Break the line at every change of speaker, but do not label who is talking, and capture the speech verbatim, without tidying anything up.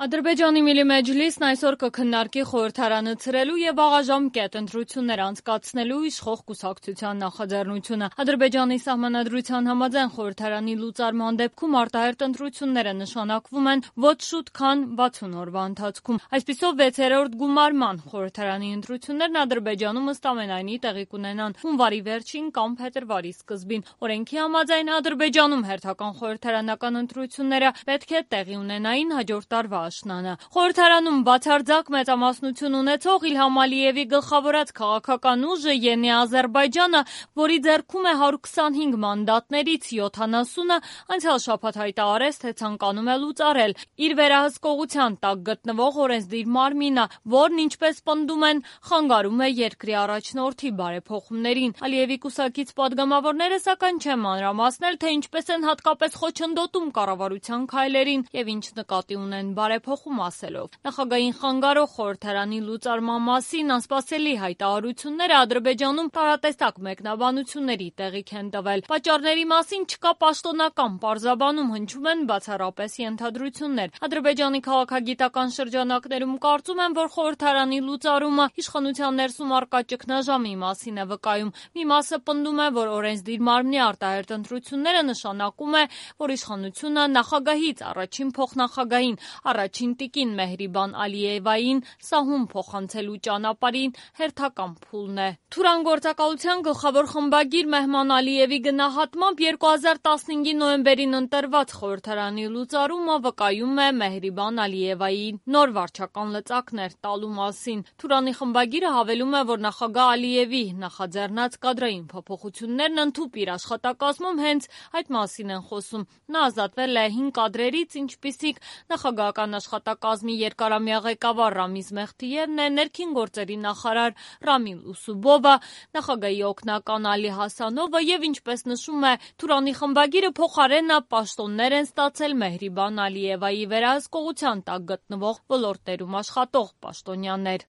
Ադրբեջանի Միլի Մեջլիսն այսօր կքննարկի խորհրդարանը ցրելու եւ աղաժամկետ ընտրություններ անցկացնելու իշխող կուսակցության նախաձեռնությունը։ Ադրբեջանի սահմանադրության համաձայն խորհրդարանի լուծարման դեպքում արտահերթ ընտրությունները նշանակվում են ոչ շուտ, քան վաթսուն օրվա ընթացքում։ Այսպիսով վեցերորդ գումարման խորհրդարանի ընտրություններն Ադրբեջանում ըստ ամենայնի տեղի կունենան հունվարի վերջին կամ փետրվարի սկզբին։ Օրենքի համաձայն Ադրբեջանում հերթական խորհրդարանական ընտրությունները պետք է տեղի ունենային հաջորդ տարվա աշնանը։ Խորհրդարանում բացարձակ մեծամասնություն ունեցող Իլհամ Ալիևի գլխավորած քաղաքական ուժը Ենի Ադրբեջանը, որի ձեռքում է հարյուր քսանհինգ մանդատներից յոթանասունը, անցյալ շաբաթ հայտարարեց, թե ցանկանում է լուծարել իր վերահսկողության տակ գտնվող օրենսդիր մարմինը, որն, ինչպես պնդում են, խանգարում է երկրի առաջնորդի բարեփոխումներին։ Ալիևի կուսակից падգամավորները սակայն չեն մանրամասնել, թե ինչպես են հատկապես խոչընդոտում կառավարության քայլերին եւ ինչ նկատի ունեն բարեփոխում ասելով։ Նախագահային խանգարող խորհրդարանի լուծարման մասին անսպասելի հայտարարությունները Ադրբեջանում տարատեսակ մեկնաբանությունների տեղիք են տվել։ Պատճառների մասին չկա պաշտոնական պարզաբանում, հնչում են բացառապես ենթադրություններ։ Ադրբեջանի քաղաքագիտական շրջանակներում կարծում են, որ խորհրդարանի լուծարումը իշխանության ներսում առկա ճգնաժամի մասին է վկայում։ Մի մասը պնդում է, որ օրենսդիր մարմնի արտահերթ ընտրությունները նշանակում է, որ իշխանությունը նախագահից առաջին փոխնախագահին, առաջին տիկին Մեհրիբան Ալիևային սահուն փոխանցելու ճանապարհին հերթական փուլն է։ Թուրան գործակալության գլխավոր խմբագիր Մեհման Ալիևի գնահատմամբ երկու հազար տասնհինգի նոյեմբերին ընտրված խորհրդարանի լուծարումը վկայում է Մեհրիբան Ալիևայի նոր վարչական լծակներ տալու մասին։ Թուրանի խմբագիրը հավելում է, որ նախագահ Ալիևի նախաձեռնած կադրային փոփոխություններն ընդհուպ իր աշխատակազմում հենց այդ մասին են խոսում։ Նա ազատվել է հին կադրերից, ինչպիսիք նախագահական աշխատակազմի երկարամյա ղեկավար Ռամիզ Մեխթիևն է, ներքին գործերի նախարար Ռամիլ Ուսուբովը, նախագահի օգնական Ալի Հասանովը եւ, ինչպես նշում է Թուրանի խմբագիրը, փոխարենը պաշտոններ են ստացել Մեհրիբան Ալիևայի վերահսկողության տակ գտնվող ոլորտներում աշխատող պաշտոնյաներ։